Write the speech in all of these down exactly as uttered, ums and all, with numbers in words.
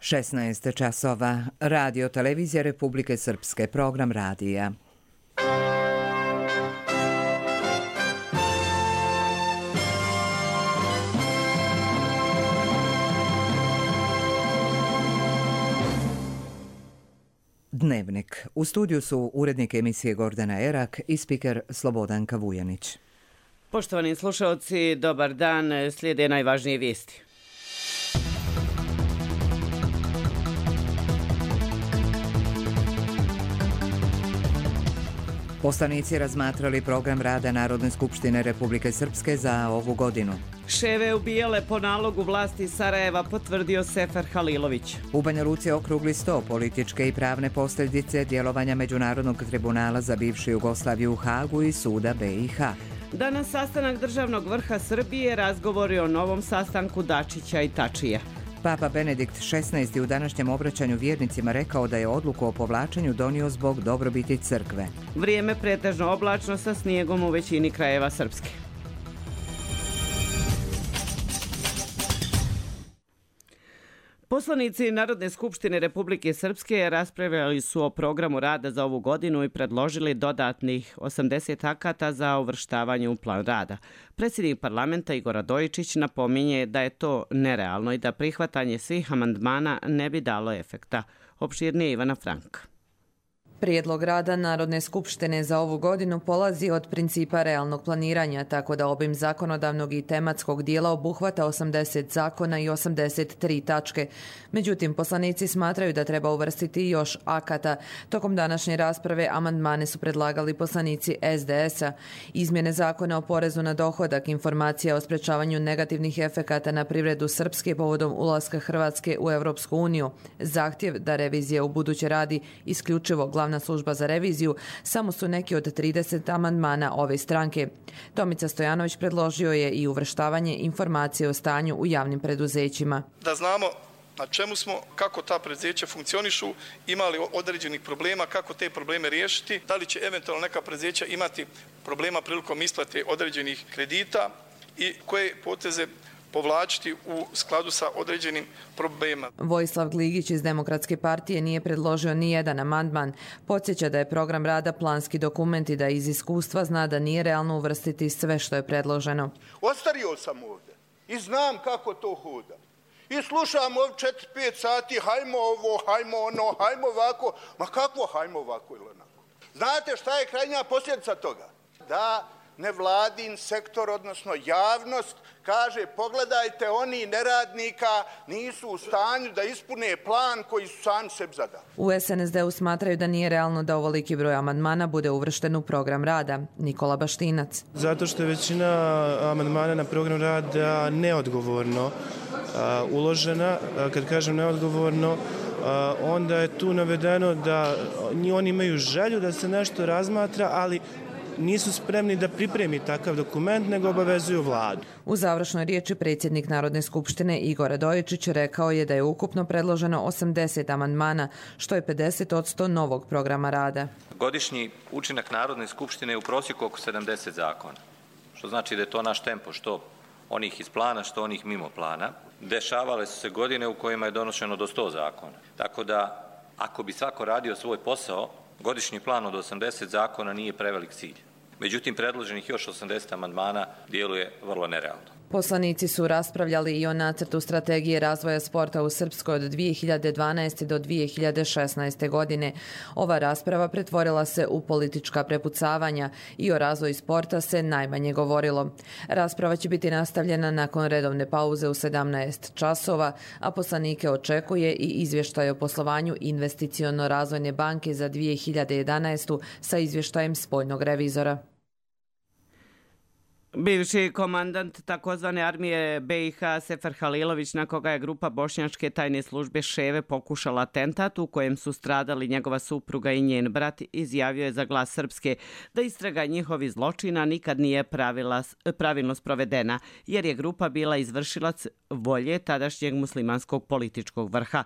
šesnaest časova. Radio televizija Republike Srpske, program radija. Dnevnik. U studiju su urednik emisije Gordana Erak i spiker Slobodanka Vujanić. Poštovani slušalci, dobar dan. Slijede najvažnije vijesti. Poslanici razmatrali program rada Narodne skupštine Republike Srpske za ovu godinu. Ševe ubijale po nalogu vlasti Sarajeva, potvrdio Sefer Halilović. U Banja Luci okrugli sto političke i pravne posljedice djelovanja Međunarodnog tribunala za bivšu Jugoslaviju u Hagu i suda B i H. Danas sastanak državnog vrha Srbije, razgovori o novom sastanku Dačića i Tačija. Papa Benedikt šesnaesti u današnjem obraćanju vjernicima rekao da je odluku o povlačenju donio zbog dobrobiti crkve. Vrijeme pretežno oblačno sa snijegom u većini krajeva Srpske. Poslanici Narodne skupštine Republike Srpske raspravljali su o programu rada za ovu godinu i predložili dodatnih osamdeset akata za uvrštavanje u plan rada. Predsjednik parlamenta Igor Radojičić napominje da je to nerealno i da prihvatanje svih amandmana ne bi dalo efekta. Opširnije Ivana Frank. Prijedlog rada Narodne skupštine za ovu godinu polazi od principa realnog planiranja, tako da obim zakonodavnog i tematskog dijela obuhvata osamdeset zakona i osamdeset tri tačke. Međutim, poslanici smatraju da treba uvrstiti još akata. Tokom današnje rasprave amandmane su predlagali poslanici S D S-a. Izmjene zakona o porezu na dohodak, informacija o sprečavanju negativnih efekata na privredu Srpske povodom ulaska Hrvatske u Europsku uniju, zahtjev da revizija u buduće radi isključivo glavna služba za reviziju, samo su neki od trideset amandmana ove stranke. Tomica Stojanović predložio je i uvrštavanje informacije o stanju u javnim preduzećima. Da znamo na čemu smo, kako ta preduzeća funkcionišu, imali određenih problema, kako te probleme riješiti, da li će eventualno neka preduzeća imati problema prilikom isplate određenih kredita i koje poteze povlačiti u skladu sa određenim problemima. Vojislav Gligić iz Demokratske partije nije predložio ni jedan amandman. Podsjeća da je program rada planski dokument i da iz iskustva zna da nije realno uvrstiti sve što je predloženo. Ostario sam ovdje i znam kako to hoda. I slušam ovdje četiri pet sati, hajmo ovo, hajmo ono, hajmo ovako. Ma kakvo hajmo ovako ili onako? Znate šta je krajnja posljedica toga? Da nevladin sektor, odnosno javnost, kaže pogledajte, oni neradnika nisu u stanju da ispune plan koji su sami sebi zadali. U S N S D-u smatraju da nije realno da ovoliki broj amandmana bude uvršten u program rada. Nikola Baštinac. Zato što je većina amandmana na program rada neodgovorno a, uložena. A, kad kažem neodgovorno, a, onda je tu navedeno da oni imaju želju da se nešto razmatra, ali nisu spremni da pripremi takav dokument, nego obavezuju vladu. U završnoj riječi predsjednik Narodne skupštine Igor Radojičić rekao je da je ukupno predloženo osamdeset amandmana, što je pedeset posto novog programa rada. Godišnji učinak Narodne skupštine je u prosjeku oko sedamdeset zakona, što znači da je to naš tempo, što onih iz plana, što onih mimo plana. Dešavale su se godine u kojima je donošeno do sto zakona. Tako da, ako bi svako radio svoj posao, godišnji plan od osamdeset zakona nije prevelik cilj. Međutim, predloženih još osamdeset amandmana djeluje vrlo nerealno. Poslanici su raspravljali i o nacrtu strategije razvoja sporta u Srpskoj od dvije hiljade dvanaeste. do dvije hiljade šesnaeste. godine. Ova rasprava pretvorila se u politička prepucavanja i o razvoju sporta se najmanje govorilo. Rasprava će biti nastavljena nakon redovne pauze u sedamnaest časova, a poslanike očekuje i izvještaj o poslovanju Investiciono-razvojne banke za dvije hiljade jedanaestu. sa izvještajem spoljnog revizora. Bivši komandant takozvane armije B i H Sefer Halilović, na koga je grupa bošnjačke tajne službe Ševe pokušala atentat u kojem su stradali njegova supruga i njen brat, izjavio je za Glas Srpske da istraga njihovih zločina nikad nije pravila, pravilno sprovedena, jer je grupa bila izvršilac volje tadašnjeg muslimanskog političkog vrha.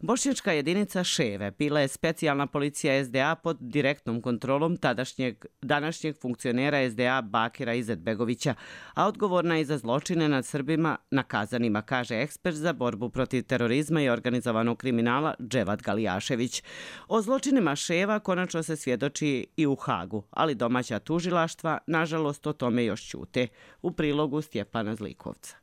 Bošnjačka jedinica Ševe bila je specijalna policija S D A pod direktnom kontrolom tadašnjeg, današnjeg funkcionera S D A Bakira Izetbegovića. Izetbegovića, a odgovorna je za zločine nad Srbima na Kazanima, kaže ekspert za borbu protiv terorizma i organizovanog kriminala Dževad Galijašević. O zločinima Ševa konačno se svjedoči i u Hagu, ali domaća tužilaštva, nažalost, o tome još ćute. U prilogu Stjepana Zlikovca.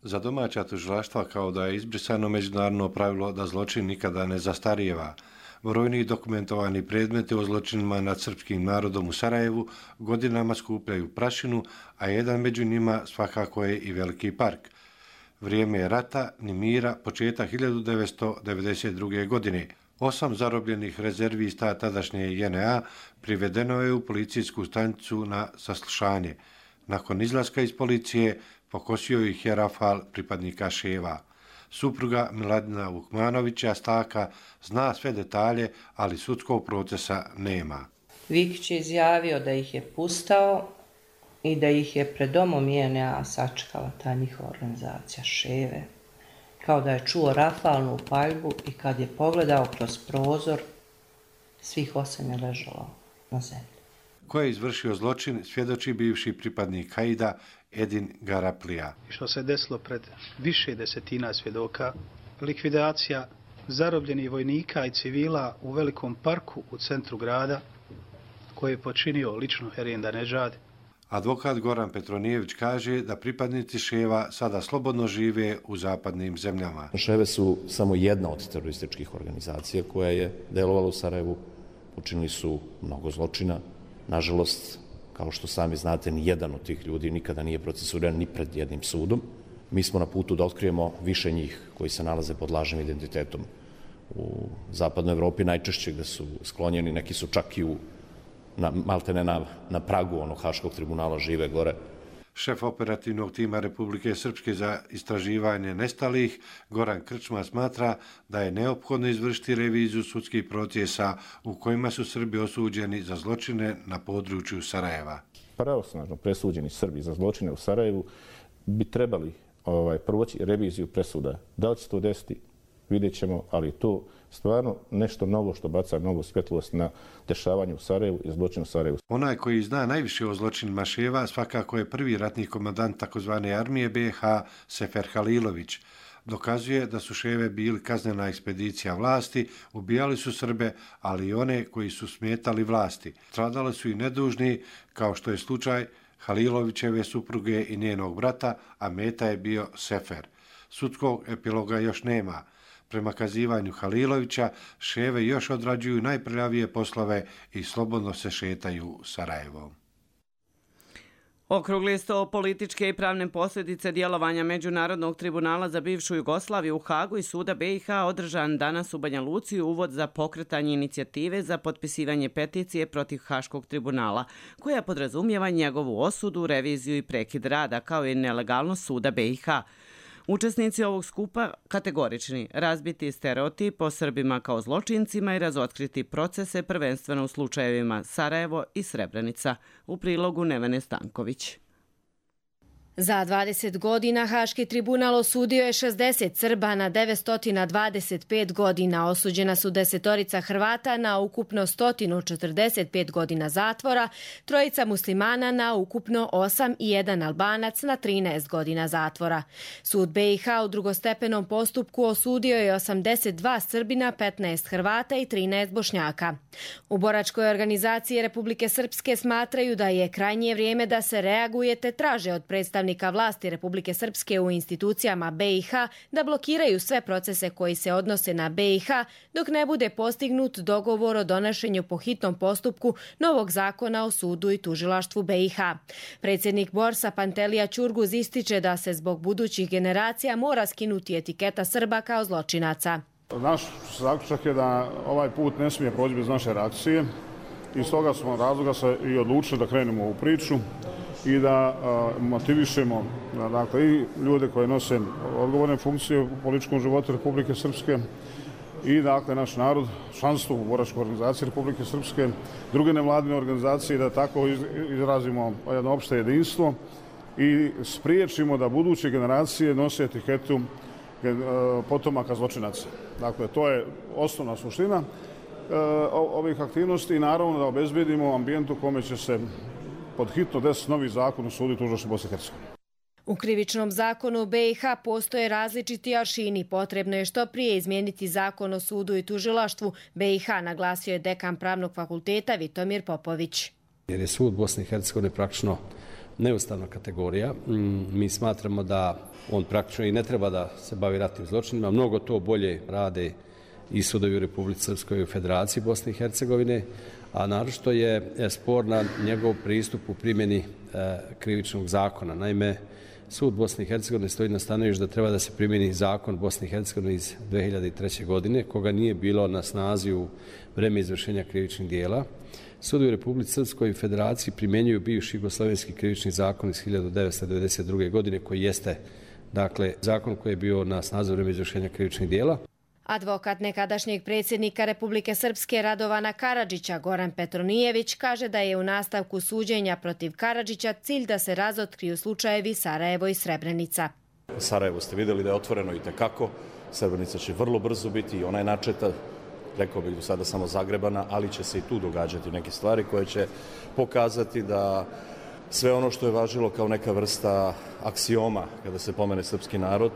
Za domaća tužilaštva kao da je izbrisano međunarodno pravilo da zločin nikada ne zastarijeva. Brojni dokumentovani predmeti o zločinima nad srpskim narodom u Sarajevu godinama skupljaju prašinu, a jedan među njima svakako je i Veliki park. Vrijeme je rata, ni mira, početak hiljadu devetsto devedeset druge. godine. Osam zarobljenih rezervista tadašnje J N A privedeno je u policijsku stanicu na saslušanje. Nakon izlaska iz policije pokosio ih je rafal pripadnika Ševa. Supruga Miladina Vukmanovića Staka zna sve detalje, ali sudskog procesa nema. Vikić je izjavio da ih je pustao i da ih je pred domom J N A sačekala ta njihova organizacija Ševe. Kao da je čuo rafalnu paljbu i kad je pogledao kroz prozor, svih osam je ležalo na zemlji. Ko je izvršio zločin, svjedoči bivši pripadnik Haida Edin Garaplija. Što se desilo pred više desetina svjedoka, likvidacija zarobljenih vojnika i civila u Velikom parku u centru grada, koje je počinio lično Herijen Danežad. Advokat Goran Petronijević kaže da pripadnici Ševa sada slobodno žive u zapadnim zemljama. Ševe su samo jedna od terorističkih organizacija koja je delovala u Sarajevu. Učinili su mnogo zločina. Nažalost, kao što sami znate, ni jedan od tih ljudi nikada nije procesuiran ni pred jednim sudom. Mi smo na putu da otkrijemo više njih koji se nalaze pod lažnim identitetom u zapadnoj Evropi, najčešće gde su sklonjeni, neki su čak i u, na, maltene na, na pragu onog Haškog tribunala žive gore. Šef operativnog tima Republike Srpske za istraživanje nestalih, Goran Krčma, smatra da je neophodno izvršiti reviziju sudskih procesa u kojima su Srbi osuđeni za zločine na području Sarajeva. Pravosnažno presuđeni Srbi za zločine u Sarajevu bi trebali ovaj, proći reviziju presuda. Da li će to desiti, vidjet ćemo, ali to stvarno nešto novo što baca novu svjetlost na dešavanje u Sarajevu i zločin u Sarajevu. Onaj koji zna najviše o zločinima Ševa svakako je prvi ratni komandant takozvane armije B i H Sefer Halilović. Dokazuje da su Ševe bili kaznena ekspedicija vlasti, ubijali su Srbe, ali i one koji su smetali vlasti. Stradali su i nedužni, kao što je slučaj Halilovićeve supruge i njenog brata, a meta je bio Sefer. Sudskog epiloga još nema. Prema kazivanju Halilovića, Ševe još odrađuju najprljavije poslove i slobodno se šetaju Sarajevom. Okrugli sto političke i pravne posljedice djelovanja Međunarodnog tribunala za bivšu Jugoslaviju u Hagu i suda B i H održan danas u Banja Luci uvod za pokretanje inicijative za potpisivanje peticije protiv Haškog tribunala, koja podrazumijeva njegovu osudu, reviziju i prekid rada, kao i nelegalnost suda B i H. Učesnici ovog skupa kategorični, razbiti stereotip o Srbima kao zločincima i razotkriti procese prvenstveno u slučajevima Sarajevo i Srebrenica. U prilogu Nevene Stanković. Za dvadeset godina Haški tribunal osudio je šezdeset Srba na devetsto dvadeset pet godina. Osuđena su desetorica Hrvata na ukupno sto četrdeset pet godina zatvora, trojica muslimana na ukupno osam i jedan Albanac na trinaest godina zatvora. Sud B i H u drugostepenom postupku osudio je osamdeset dva Srbina, petnaest Hrvata i trinaest Bošnjaka. U boračkoj organizaciji Republike Srpske smatraju da je krajnje vrijeme da se reaguje te traže od predstavnika vlasti Republike Srpske u institucijama B i H da blokiraju sve procese koji se odnose na B i H dok ne bude postignut dogovor o donošenju po hitnom postupku novog zakona o sudu i tužilaštvu B i H. Predsjednik Borsa Pantelija Ćurguz ističe da se zbog budućih generacija mora skinuti etiketa Srba kao zločinaca. Naš zaključak je da ovaj put ne smije proći bez naše reakcije i s toga smo razloga se i odlučili da krenemo u priču i da a, motivišemo dakle, i ljude koje nose odgovorne funkcije u političkom životu Republike Srpske i dakle, naš narod, članstvo u boračkoj organizaciji Republike Srpske, druge nevladine organizacije, da tako izrazimo jedno opšte jedinstvo i spriječimo da buduće generacije nose etiketu potomaka zločinaca. Dakle, to je osnovna suština ovih aktivnosti i naravno da obezbedimo ambijent u kome će se pod hitno desiti novi zakon o sudu i tužilaštvu Bosne i Hercegovine. U krivičnom zakonu B i H postoje različiti aršini. Potrebno je što prije izmijeniti zakon o sudu i tužilaštvu B i H, naglasio je dekan Pravnog fakulteta Vitomir Popović. Jer je sud Bosne i Hercegovine praktično neustavna kategorija. Mi smatramo da on praktično i ne treba da se bavi ratnim zločinima. Mnogo to bolje rade i sudovi u Republici Srpskoj i u Federaciji Bosne i Hercegovine, a naročito je sporna njegov pristup u primjeni krivičnog zakona. Naime, sud Bosne i Hercegovine stoji na stanovištu da treba da se primjeni zakon Bosne i Hercegovine iz dve hiljade treće. godine, koga nije bilo na snazi u vreme izvršenja krivičnih dijela. Sudovi u Republici Srpskoj i Federaciji primjenjuju bivši jugoslovenski krivični zakon iz hiljade devetsto devedeset druge. godine, koji jeste, dakle, zakon koji je bio na snazi u vreme izvršenja krivičnih dijela. Advokat nekadašnjeg predsjednika Republike Srpske Radovana Karadžića, Goran Petronijević, kaže da je u nastavku suđenja protiv Karadžića cilj da se razotkriju slučajevi Sarajevo i Srebrenica. Sarajevo ste vidjeli da je otvoreno i tekako. Srebrenica će vrlo brzo biti i ona je načeta, rekao bih do sada samo zagrebana, ali će se i tu događati neke stvari koje će pokazati da sve ono što je važilo kao neka vrsta aksioma kada se pomene srpski narod,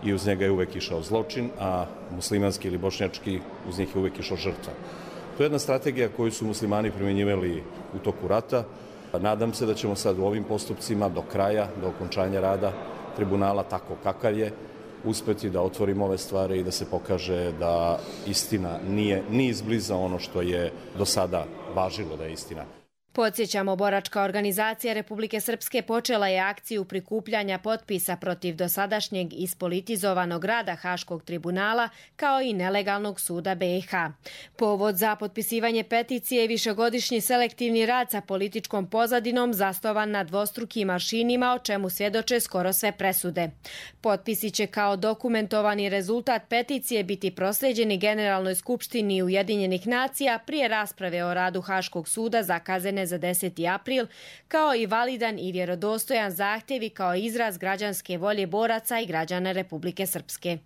i uz njega je uvek išao zločin, a muslimanski ili bošnjački uz njih je uvek išao žrtva. To je jedna strategija koju su muslimani primjenjivali u toku rata. Nadam se da ćemo sad u ovim postupcima do kraja, do okončanja rada tribunala, tako kakav je, uspeti da otvorimo ove stvari i da se pokaže da istina nije ni izbliza ono što je do sada važilo da je istina. Podsjećamo, boračka organizacija Republike Srpske počela je akciju prikupljanja potpisa protiv dosadašnjeg ispolitizovanog rada Haškog tribunala kao i nelegalnog suda B i H. Povod za potpisivanje peticije je višegodišnji selektivni rad sa političkom pozadinom zasnovan na dvostrukim aršinima, o čemu svjedoče skoro sve presude. Potpisi će kao dokumentovani rezultat peticije biti proslijeđeni Generalnoj skupštini Ujedinjenih nacija prije rasprave o radu Haškog suda zakazane za deseti april, kao i validan i vjerodostojan zahtjevi kao izraz građanske volje boraca i građana Republike Srpske.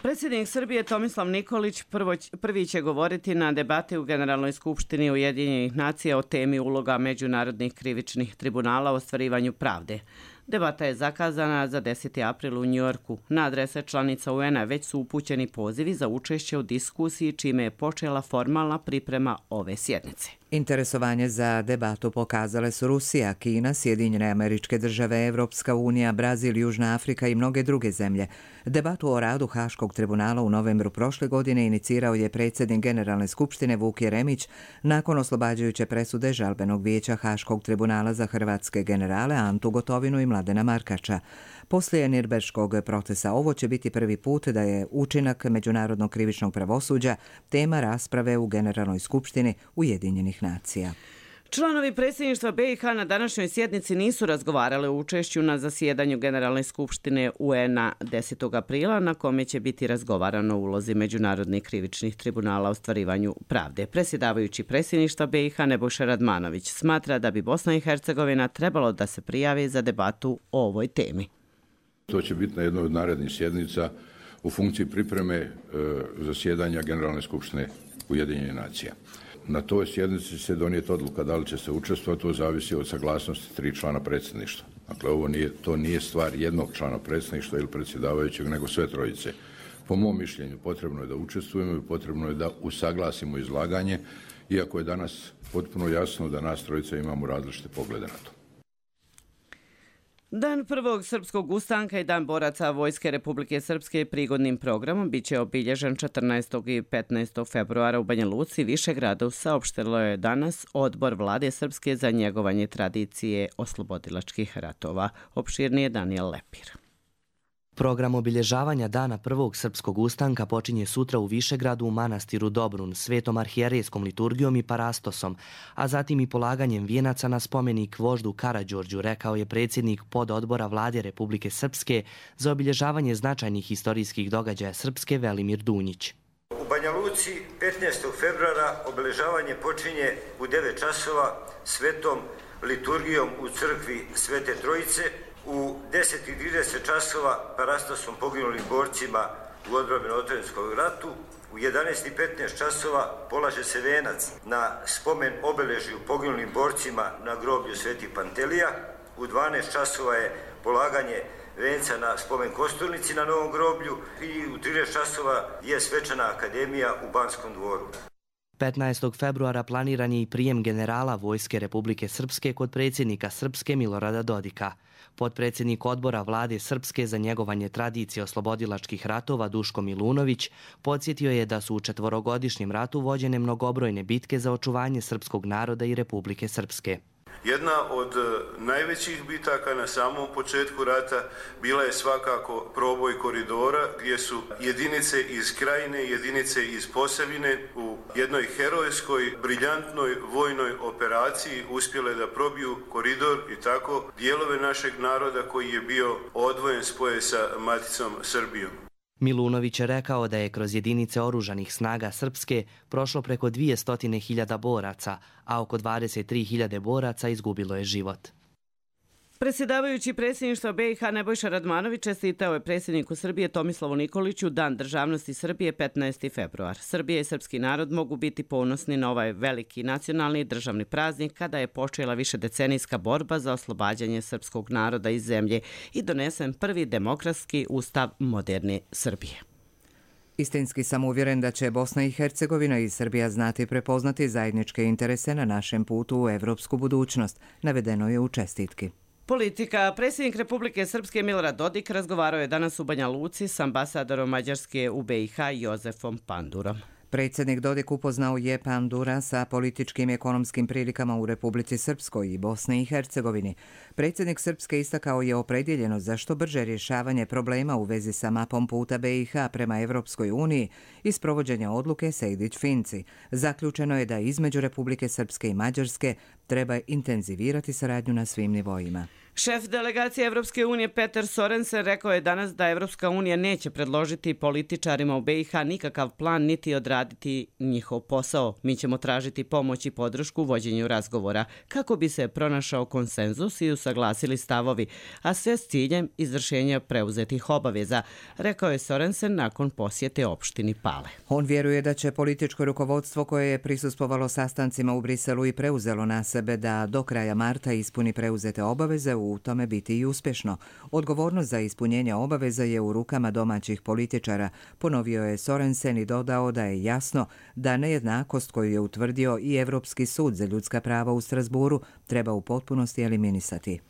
Predsjednik Srbije Tomislav Nikolić prvo, prvi će govoriti na debati u Generalnoj skupštini Ujedinjenih nacija o temi uloga međunarodnih krivičnih tribunala u ostvarivanju pravde. Debata je zakazana za deseti april u Njujorku. Na adrese članica U N A već su upućeni pozivi za učešće u diskusiji, čime je počela formalna priprema ove sjednice. Interesovanje za debatu pokazale su Rusija, Kina, Sjedinjene Američke Države, Evropska unija, Brazil, Južna Afrika i mnoge druge zemlje. Debatu o radu Haškog tribunala u novembru prošle godine inicirao je predsjednik Generalne skupštine Vuk Jeremić nakon oslobađajuće presude Žalbenog vijeća Haškog tribunala za hrvatske generale Antu Gotovinu i Mladena Markača. Poslije Nirnberškog procesa ovo će biti prvi put da je učinak međunarodnog krivičnog pravosuđa tema rasprave u Generalnoj skupštini Ujedinjenih nacija. Članovi predsjedništva B i H na današnjoj sjednici nisu razgovarali o učešću na zasjedanju Generalne skupštine U N A desetog aprila, na kome će biti razgovarano o ulozi međunarodnih krivičnih tribunala u ostvarivanju pravde. Predsjedavajući predsjedništva B i H Nebojša Radmanović smatra da bi Bosna i Hercegovina trebalo da se prijavi za debatu o ovoj temi. To će biti na jednoj od narednih sjednica u funkciji pripreme e, zasjedanja Generalne skupštine Ujedinjenih nacija. Na toj sjednici se donijeti odluka da li će se učestvovati, to zavisi od saglasnosti tri člana predsjedništva. Dakle, ovo nije, to nije stvar jednog člana predsjedništva ili predsjedavajućeg, nego sve trojice. Po mom mišljenju potrebno je da učestvujemo i potrebno je da usaglasimo izlaganje, iako je danas potpuno jasno da nas trojice imamo različite poglede na to. Dan prvog srpskog ustanka i Dan boraca Vojske Republike Srpske prigodnim programom biće obilježen četrnaestog i petnaestog februara u Banja Luci, Višegradu, saopštilo je danas Odbor Vlade Srpske za njegovanje tradicije oslobodilačkih ratova. Opširnije Daniel Lepir. Program obilježavanja Dana prvog srpskog ustanka počinje sutra u Višegradu u manastiru Dobrun, svetom arhijerejskom liturgijom i parastosom, a zatim i polaganjem vijenaca na spomenik voždu Karađorđu, rekao je predsjednik pododbora Vlade Republike Srpske za obilježavanje značajnih historijskih događaja Srpske Velimir Dunjić. U Banja Luci petnaestog februara obilježavanje počinje u devet časova svetom liturgijom u crkvi Svete Trojice. U deset i trideset časova parastosom poginulim borcima u odbrani Otvorenskog ratu, U jedanaest i petnaest časova polaže se venac na spomen obeležju poginulim borcima na groblju Sveti Pantelija. U dvanaest časova je polaganje venca na spomen kosturnici na Novom groblju i u trinaest časova je svečana akademija u Banskom dvoru. petnaestog februara planiran je i prijem generala Vojske Republike Srpske kod predsjednika Srpske Milorada Dodika. Potpredsjednik odbora vlade Srpske za njegovanje tradicije oslobodilačkih ratova Duško Milunović podsjetio je da su u četvorogodišnjem ratu vođene mnogobrojne bitke za očuvanje srpskog naroda i Republike Srpske. Jedna od najvećih bitaka na samom početku rata bila je svakako proboj koridora gdje su jedinice iz Krajine, jedinice iz Posavine u jednoj herojskoj, briljantnoj vojnoj operaciji uspjele da probiju koridor i tako dijelove našeg naroda koji je bio odvojen spoje sa maticom Srbijom. Milunović je rekao da je kroz jedinice oružanih snaga Srpske prošlo preko dvjesto hiljada boraca, a oko dvadeset tri hiljade boraca izgubilo je život. Predsjedavajući predsjedništva B i H Nebojša Radmanović čestitao je predsjedniku Srbije Tomislavu Nikoliću Dan državnosti Srbije petnaesti februar. Srbija i srpski narod mogu biti ponosni na ovaj veliki nacionalni državni praznik kada je počela višedecenijska borba za oslobađanje srpskog naroda iz zemlje i donesen prvi demokratski ustav moderne Srbije. Istinski sam uvjeren da će Bosna i Hercegovina i Srbija znati prepoznati zajedničke interese na našem putu u evropsku budućnost, navedeno je u čestitki. Politika. Predsjednik Republike Srpske Milorad Dodik razgovarao je danas u Banja Luci s ambasadorom Mađarske u B i H Jozefom Pandurom. Predsjednik Dodik upoznao je Pandura sa političkim i ekonomskim prilikama u Republici Srpskoj i Bosni i Hercegovini. Predsjednik Srpske istakao je opredjeljeno za što brže rješavanje problema u vezi sa mapom puta B i H prema Evropskoj uniji i sprovođenja odluke Sejdić-Finci. Zaključeno je da između Republike Srpske i Mađarske treba intenzivirati saradnju na svim nivoima. Šef delegacije Evropske unije Peter Sorensen rekao je danas da Evropska unija neće predložiti političarima u B i H nikakav plan niti odraditi njihov posao. Mi ćemo tražiti pomoć i podršku u vođenju razgovora kako bi se pronašao konsenzus i usaglasili stavovi, a sve s ciljem izvršenja preuzetih obaveza, rekao je Sorensen nakon posjete opštini Pale. On vjeruje da će političko rukovodstvo koje je prisustvovalo sastancima u Briselu i preuzelo na sebe da do kraja marta ispuni preuzete obaveze u tome biti i uspješno. Odgovornost za ispunjenje obaveza je u rukama domaćih političara, ponovio je Sorensen i dodao da je jasno da nejednakost koju je utvrdio i Evropski sud za ljudska prava u Strasburu treba u potpunosti eliminisati.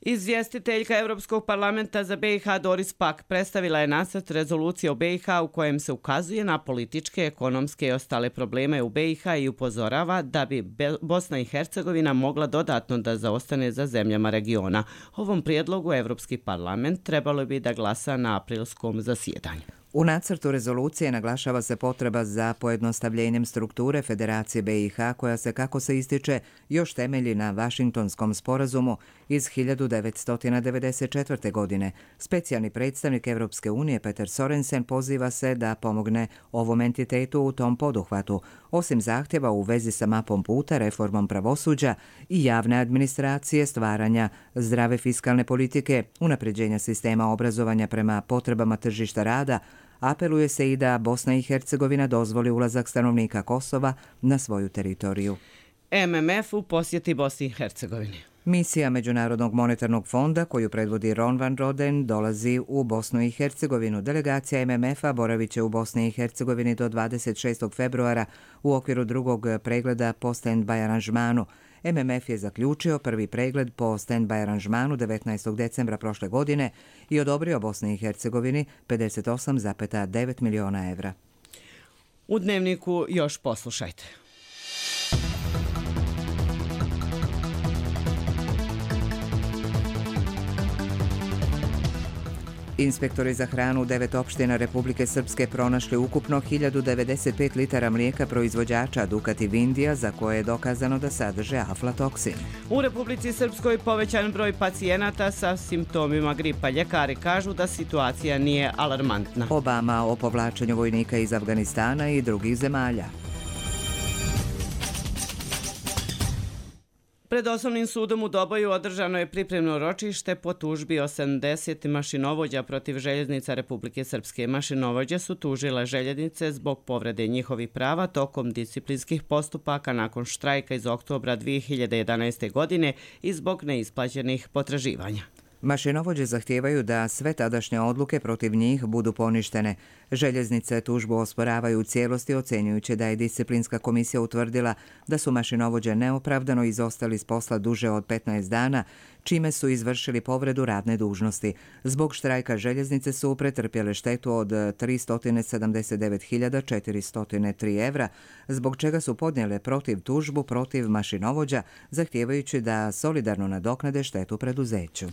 Izvjestiteljka Europskog parlamenta za B i H Doris Pack predstavila je nacrt rezolucije o B i H u kojem se ukazuje na političke, ekonomske i ostale probleme u B i H i upozorava da bi Bosna i Hercegovina mogla dodatno da zaostane za zemljama regiona. Ovom prijedlogu Europski parlament trebalo bi da glasa na aprilskom zasjedanju. U nacrtu rezolucije naglašava se potreba za pojednostavljenjem strukture Federacije B i H koja se, kako se ističe, još temelji na Vašingtonskom sporazumu iz hiljadu devetsto devedeset četvrte. godine. Specijalni predstavnik Evropske unije Peter Sorensen poziva se da pomogne ovom entitetu u tom poduhvatu, osim zahtjeva u vezi sa mapom puta, reformom pravosuđa i javne administracije, stvaranja zdrave fiskalne politike, unapređenja sistema obrazovanja prema potrebama tržišta rada. Apeluje se i da Bosna i Hercegovina dozvoli ulazak stanovnika Kosova na svoju teritoriju. M M F u posjeti Bosni i Hercegovini. Misija Međunarodnog monetarnog fonda, koju predvodi Ron van Roden, dolazi u Bosnu i Hercegovinu. Delegacija M M F-a boravit će u Bosni i Hercegovini do dvadeset šestog februara u okviru drugog pregleda po stand-by aranžmanu. M M F je zaključio prvi pregled po stand-by aranžmanu devetnaestog decembra prošle godine i odobrio Bosni i Hercegovini pedeset osam zarez devet miliona evra. U Dnevniku još poslušajte. Inspektori za hranu u devet opština Republike Srpske pronašli ukupno hiljadu devedeset pet litara mlijeka proizvođača Dukat Vindija za koje je dokazano da sadrže aflatoksin. U Republici Srpskoj povećan broj pacijenata sa simptomima gripa. Ljekari kažu da situacija nije alarmantna. Obama o povlačenju vojnika iz Afganistana i drugih zemalja. Pred osnovnim sudom u Doboju održano je pripremno ročište po tužbi osamdeset mašinovođa protiv željeznica Republike Srpske. Mašinovođe su tužile željeznice zbog povrede njihovih prava tokom disciplinskih postupaka nakon štrajka iz oktobra dvije hiljade jedanaeste. godine i zbog neisplaćenih potraživanja. Mašinovođe zahtijevaju da sve tadašnje odluke protiv njih budu poništene. Željeznice tužbu osporavaju u cijelosti, ocjenjujući da je disciplinska komisija utvrdila da su mašinovođe neopravdano izostali s posla duže od petnaest dana, čime su izvršili povredu radne dužnosti. Zbog štrajka željeznice su pretrpjele štetu od tristo sedamdeset devet hiljada četiristo tri evra, zbog čega su podnijele protiv tužbu protiv mašinovođa, zahtijevajući da solidarno nadoknade štetu preduzeću.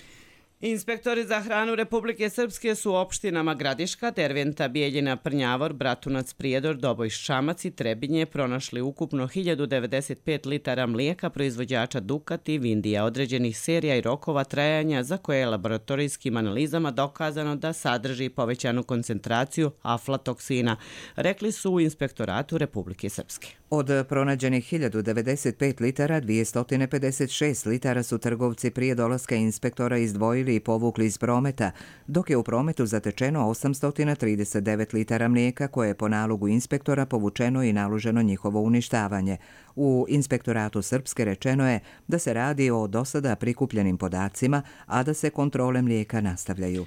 Inspektori za hranu Republike Srpske su u opštinama Gradiška, Derventa, Bijeljina, Prnjavor, Bratunac, Prijedor, Doboj, Šamac i Trebinje pronašli ukupno hiljadu devedeset pet litara mlijeka proizvođača Dukat i Vindija određenih serija i rokova trajanja za koje je laboratorijskim analizama dokazano da sadrži povećanu koncentraciju aflatoksina, rekli su u Inspektoratu Republike Srpske. Od pronađenih hiljadu devedeset pet litara, dvjesto pedeset šest litara su trgovci prije dolaska inspektora izdvojili i povukli iz prometa, dok je u prometu zatečeno osamsto trideset devet litara mlijeka koje je po nalogu inspektora povučeno i naloženo njihovo uništavanje. U Inspektoratu Srpske rečeno je da se radi o dosada prikupljenim podacima, a da se kontrole mlijeka nastavljaju.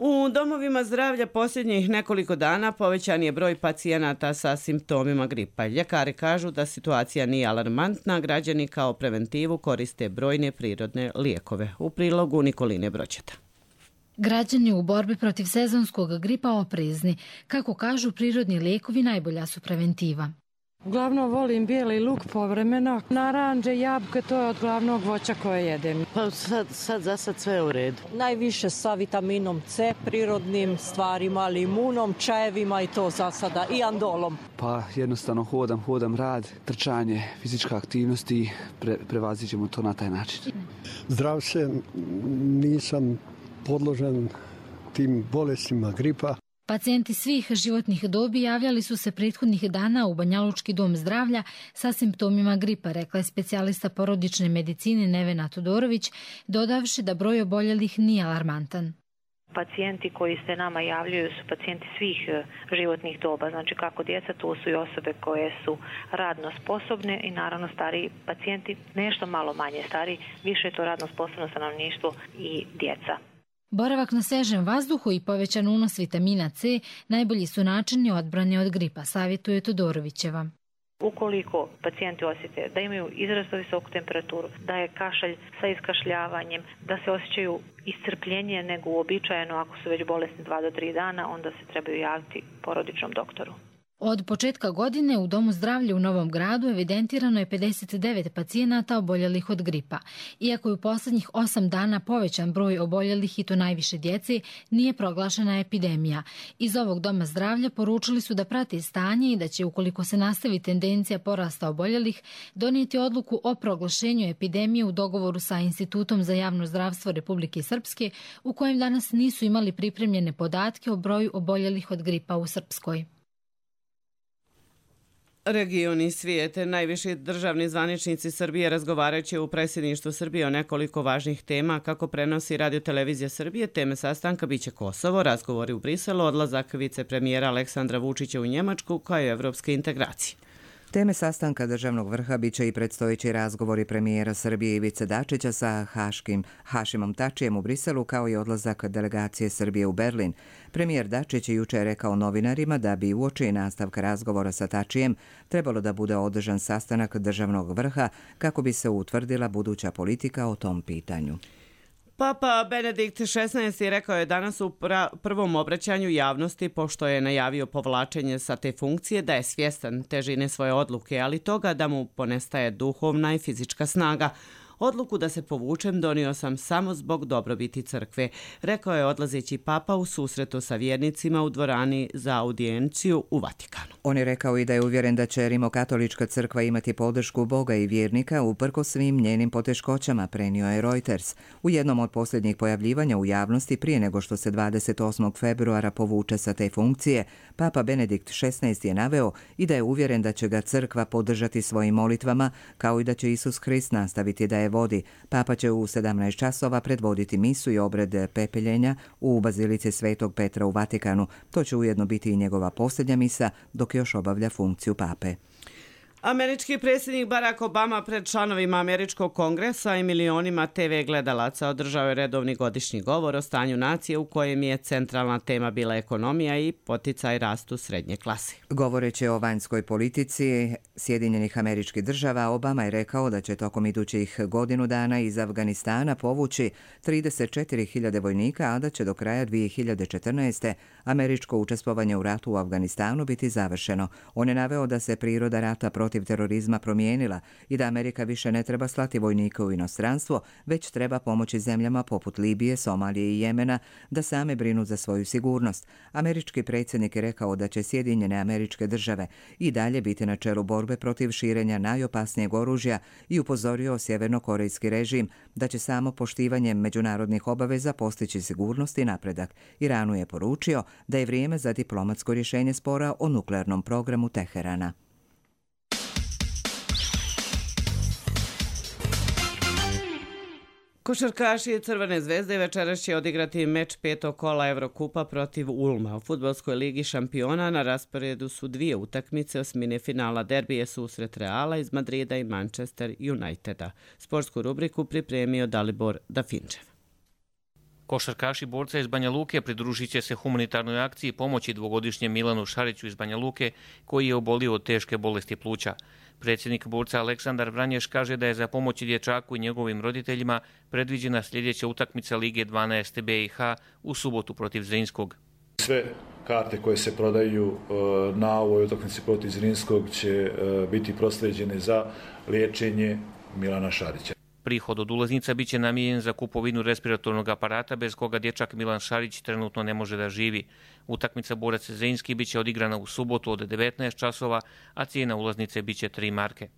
U domovima zdravlja posljednjih nekoliko dana povećan je broj pacijenata sa simptomima gripa. Ljekari kažu da situacija nije alarmantna, građani kao preventivu koriste brojne prirodne lijekove. U prilogu Nikoline Broćeta. Građani u borbi protiv sezonskog gripa oprezni. Kako kažu, prirodni lijekovi najbolja su preventiva. Uglavnom volim bijeli luk povremeno, naranđe, jabuke, to je od glavnog voća koje jedem. Pa sad, sad za sad sve u redu. Najviše sa vitaminom C, prirodnim stvarima, limunom, čajevima i to za sada, i andolom. Pa jednostavno hodam, hodam rad, trčanje, fizička aktivnost i pre, prevazit ćemo to na taj način. Zdrav se, nisam podložen tim bolestima gripa. Pacijenti svih životnih dobi javljali su se prethodnih dana u Banjalučki dom zdravlja sa simptomima gripa, rekla je specijalista porodične medicine Nevena Todorović, dodavši da broj oboljelih nije alarmantan. Pacijenti koji se nama javljaju su pacijenti svih životnih doba, znači kako djeca, to su i osobe koje su radno sposobne i naravno stariji pacijenti, nešto malo manje stariji, više je to radno sposobno stanovništvo i djeca. Boravak na svežem vazduhu i povećan unos vitamina C najbolji su načini odbrane od gripa, savjetuje Todorovićeva. Ukoliko pacijenti osjete da imaju izrazito visoku temperaturu, da je kašalj sa iskašljavanjem, da se osjećaju iscrpljenije nego uobičajeno ako su već bolesni dva do tri dana, onda se trebaju javiti porodičnom doktoru. Od početka godine u Domu zdravlja u Novom Gradu evidentirano je pedeset devet pacijenata oboljelih od gripa. Iako je u posljednjih osam dana povećan broj oboljelih i to najviše djece, nije proglašena epidemija. Iz ovog Doma zdravlja poručili su da prate stanje i da će, ukoliko se nastavi tendencija porasta oboljelih, donijeti odluku o proglašenju epidemije u dogovoru sa Institutom za javno zdravstvo Republike Srpske, u kojem danas nisu imali pripremljene podatke o broju oboljelih od gripa u Srpskoj. Regioni svijete, najviši državni zvaničnici Srbije razgovarajući u predsjedništvu Srbije o nekoliko važnih tema, kako prenosi Radio-televizija Srbije. Teme sastanka biće Kosovo, razgovori u Briselu, odlazak vicepremijera Aleksandra Vučića u Njemačku kao i evropske integracije. Teme sastanka državnog vrha biće i predstojeći razgovori premijera Srbije Ivice Dačića sa Haškim Hašimom Tačijem u Briselu, kao i odlazak delegacije Srbije u Berlin. Premijer Dačić je juče rekao novinarima da bi uoči nastavka razgovora sa Tačijem trebalo da bude održan sastanak državnog vrha kako bi se utvrdila buduća politika o tom pitanju. Papa Benedikt šesnaesti rekao je danas u prvom obraćanju javnosti, pošto je najavio povlačenje sa te funkcije, da je svjestan težine svoje odluke, ali toga da mu ponestaje duhovna i fizička snaga. Odluku da se povučem donio sam samo zbog dobrobiti crkve, rekao je odlazeći papa u susretu sa vjernicima u dvorani za audijenciju u Vatikanu. On je rekao i da je uvjeren da će Rimokatolička crkva imati podršku Boga i vjernika uprkos svim njenim poteškoćama, prenio je Reuters. U jednom od posljednjih pojavljivanja u javnosti prije nego što se dvadeset osmog februara povuče sa te funkcije, papa Benedikt šesnaesti je naveo i da je uvjeren da će ga crkva podržati svojim molitvama, kao i da će Isus Hrist nastaviti da je je vodi. Papa će u sedamnaest časova predvoditi misu i obred pepeljenja u bazilici Svetog Petra u Vatikanu. To će ujedno biti i njegova posljednja misa dok još obavlja funkciju pape. Američki predsjednik Barack Obama pred članovima Američkog kongresa i milionima te ve gledalaca održao je redovni godišnji govor o stanju nacije u kojem je centralna tema bila ekonomija i poticaj rastu srednje klase. Govoreći o vanjskoj politici Sjedinjenih Američkih Država, Obama je rekao da će tokom idućih godinu dana iz Afganistana povući trideset četiri hiljade vojnika, a da će do kraja dvije hiljade četrnaeste. američko učestvovanje u ratu u Afganistanu biti završeno. On je naveo da se priroda rata protiv terorizma promijenila i da Amerika više ne treba slati vojnike u inostranstvo, već treba pomoći zemljama poput Libije, Somalije i Jemena da same brinu za svoju sigurnost. Američki predsjednik je rekao da će Sjedinjene Američke Države i dalje biti na čelu borbe protiv širenja najopasnijeg oružja i upozorio sjevernokorejski režim da će samo poštivanjem međunarodnih obaveza postići sigurnost i napredak. Iranu je poručio da je vrijeme za diplomatsko rješenje spora o nuklearnom programu Teherana. Košarkaši Crvene zvezde večeras će odigrati meč petog kola Evrokupa protiv Ulma. U fudbalskoj ligi šampiona na rasporedu su dvije utakmice osmine finala. Derbije susret Reala iz Madrida i Manchester Uniteda. Sportsku rubriku pripremio Dalibor Dafinčev. Košarkaši borca iz Banja Luke pridružit će se humanitarnoj akciji pomoći dvogodišnjem Milanu Šariću iz Banja Luke, koji je obolio od teške bolesti pluća. Predsjednik borca Aleksandar Vranješ kaže da je za pomoći dječaku i njegovim roditeljima predviđena sljedeća utakmica Lige dvanaest B i H u subotu protiv Zrinskog. Sve karte koje se prodaju na ovoj utakmici protiv Zrinskog će biti proslijeđene za liječenje Milana Šarića. Prihod od ulaznica bit će namijenjen za kupovinu respiratornog aparata bez koga dječak Milan Šarić trenutno ne može da živi. Utakmica borac Zrinski bit će odigrana u subotu od devetnaest časova, a cijena ulaznice bit će tri marke.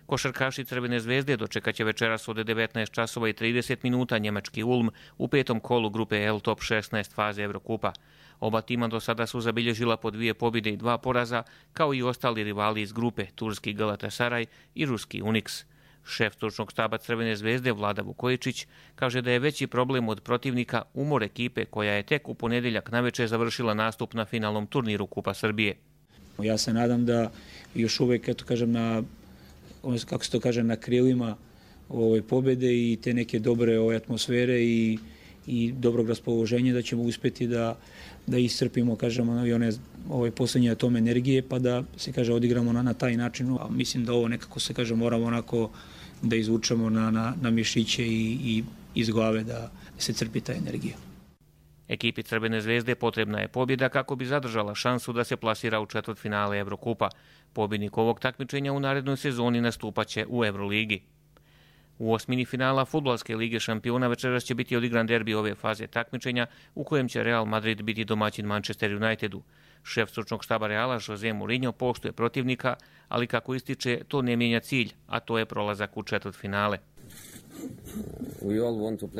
Košarkaši Crvene zvezde dočekat će večeras od devetnaest časova i trideset minuta njemački Ulm u petom kolu grupe L Top šesnaest faze Evrokupa. Oba tima do sada su zabilježila po dvije pobjede i dva poraza, kao i ostali rivali iz grupe, turski Galatasaray i ruski Unix. Šef stručnog štaba Crvene zvezde Vlada Vukojičić kaže da je veći problem od protivnika umor ekipe koja je tek u ponedjeljak navečer završila nastup na finalnom turniru Kupa Srbije. Ja se nadam da još uvijek, eto kažem, na, kako se to kaže, na krilima ove pobjede i te neke dobre ove atmosfere i, i dobrog raspoloženja da ćemo uspjeti da, da iscrpimo, kažemo, i one ove posljednje atome energije pa da se kaže odigramo na, na taj način. A mislim da ovo nekako se kaže moramo onako da izvučemo na, na, na mišiće i, i iz glave da se crpi ta energija. Ekipi Crvene zvezde potrebna je pobjeda kako bi zadržala šansu da se plasira u četvrtfinale Evrokupa. Pobjednik ovog takmičenja u narednoj sezoni nastupaće u Euroligi. U osmini finala Fudbalske lige šampiona večeras će biti odigran derbi ove faze takmičenja u kojem će Real Madrid biti domaćin Manchester Unitedu. Šef stručnog štaba Reala Jose Mourinho poštuje protivnika, ali kako ističe, to ne mijenja cilj, a to je prolazak u četvrtfinale.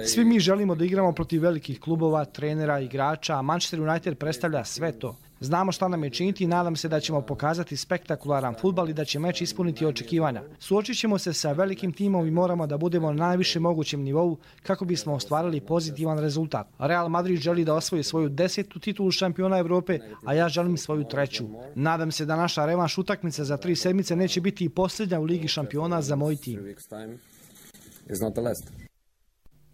Svi mi želimo da igramo protiv velikih klubova, trenera, igrača, a Manchester United predstavlja sve to. Znamo šta nam je činiti i nadam se da ćemo pokazati spektakularan fudbal i da će meč ispuniti očekivanja. Suočit ćemo se sa velikim timom i moramo da budemo na najvišem mogućem nivou kako bismo ostvarili pozitivan rezultat. Real Madrid želi da osvoji svoju desetu titulu šampiona Evrope, a ja želim svoju treću. Nadam se da naša revanš utakmica za tri sedmice neće biti i posljednja u Ligi šampiona za moj tim.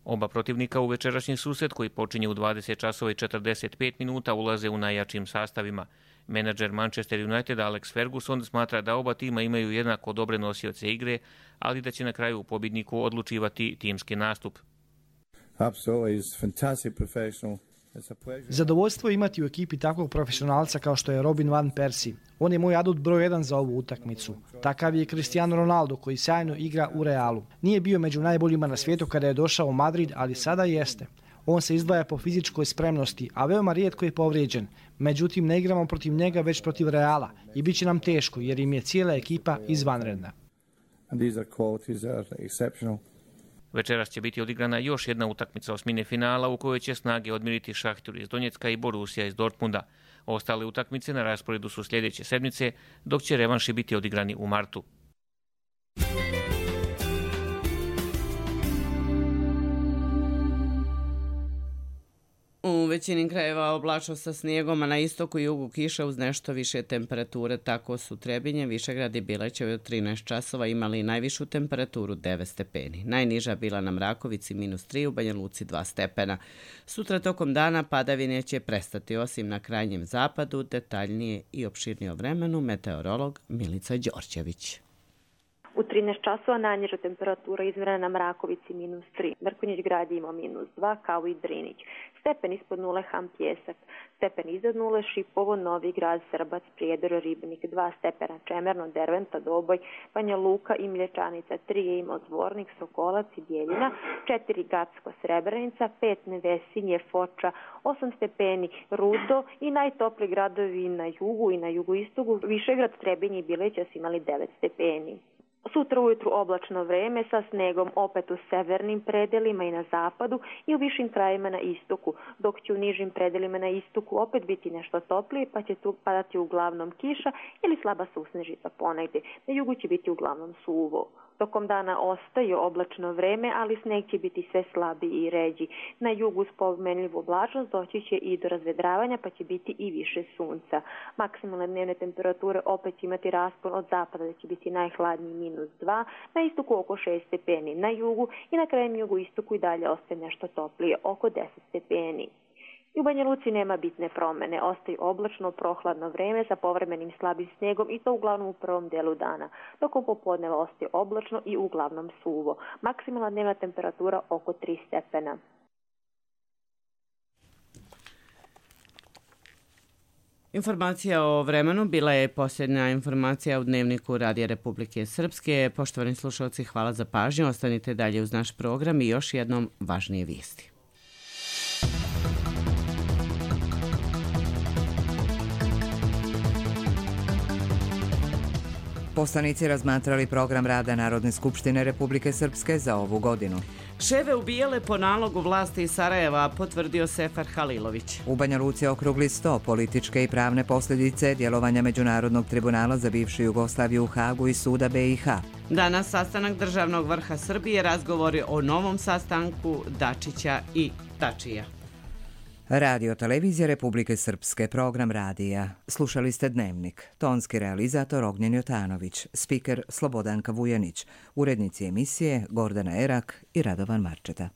Oba protivnika u večerašnji susret koji počinje u dvadeset časova i četrdeset pet minuta ulaze u najjačim sastavima. Menadžer Manchester United Alex Ferguson smatra da oba tima imaju jednako dobre nosioce igre, ali da će na kraju u pobjedniku odlučivati timski nastup. Zadovoljstvo je imati u ekipi takvog profesionalca kao što je Robin van Persie. On je moj adut broj jedan za ovu utakmicu. Takav je Cristiano Ronaldo koji sjajno igra u Realu. Nije bio među najboljima na svijetu kada je došao u Madrid, ali sada jeste. On se izdvaja po fizičkoj spremnosti, a veoma rijetko je povrijeđen. Međutim, ne igramo protiv njega već protiv Reala i bit će nam teško jer im je cijela ekipa izvanredna. Večeras će biti odigrana još jedna utakmica osmine finala u kojoj će snage odmiriti Šahtur iz Donjecka i Borussia iz Dortmunda. Ostale utakmice na rasporedu su sljedeće sedmice, dok će revanši biti odigrani u martu. U većini krajeva oblačno sa snijegom, a na istoku i jugu kiša uz nešto više temperature. Tako su Trebinje, Višegrad i Bilećevo od trinaest časova imali najvišu temperaturu devet stepeni. Najniža bila na Mrakovici minus tri, u Banja Luci dva stepena. Sutra tokom dana padavine će prestati, osim na krajnjem zapadu. Detaljnije i opširnije o vremenu meteorolog Milica Đorđević. U trinaest časova najniža temperatura izmjerena na Mrakovici minus tri. Mrkonjić grad je imao minus dva, kao i Drinić. Stepen ispod nule Ham Pjesak. Stepen iznad nule Šipovo, Novi Grad, Srbac, Prijedor, Ribnik. dva stepena Čemerno, Derventa, Doboj, Banja Luka i Mlječanica. tri je imao Zvornik, Sokolac i Bjeljina. četiri Gacko, Srebrenica. pet Nevesinje, Foča. osam stepeni Rudo i najtopli gradovi na jugu i na jugoistoku. Višegrad, Trebinje i Bileća su imali devet stepeni. Sutra ujutru oblačno vreme sa snegom opet u severnim predelima i na zapadu i u višim krajima na istoku, dok će u nižim predelima na istoku opet biti nešto toplije, pa će tu padati uglavnom kiša ili slaba susnežica ponegdje. Na jugu će biti uglavnom suvo. Tokom dana ostaje oblačno vreme, ali sneg će biti sve slabiji i ređi. Na jugu uz pomenljivu oblačnost doći će i do razvedravanja, pa će biti i više sunca. Maksimalne dnevne temperature opet će imati raspon od zapada, da će biti najhladniji minus dva, na istoku oko šest stepeni, na jugu i na krajem jugu istoku i dalje ostaje nešto toplije, oko deset stepeni. I u Banja Luci nema bitne promene, ostaje oblačno, prohladno vreme sa povremenim slabim snijegom i to uglavnom u prvom delu dana, dok u popodneva ostaje oblačno i uglavnom suvo. Maksimalna dnevna temperatura oko tri stepena. Informacija o vremenu bila je posljednja informacija u Dnevniku Radija Republike Srpske. Poštovani slušalci, hvala za pažnju. Ostanite dalje uz naš program i još jednom važnije vijesti. Poslanici razmatrali program rada Narodne skupštine Republike Srpske za ovu godinu. Ševe ubijele po nalogu vlasti iz Sarajeva, potvrdio Sefer Halilović. U Banja Luci okrugli sto političke i pravne posljedice djelovanja Međunarodnog tribunala za bivšu Jugoslaviju u Hagu i suda B i H. Danas sastanak državnog vrha Srbije, razgovori o novom sastanku Dačića i Tačija. Radio Televizija Republike Srpske, program radija. Slušali ste Dnevnik. Tonski realizator Ognjen Jotanović, spiker Slobodanka Vujanić, urednici emisije Gordana Erak i Radovan Marčeta.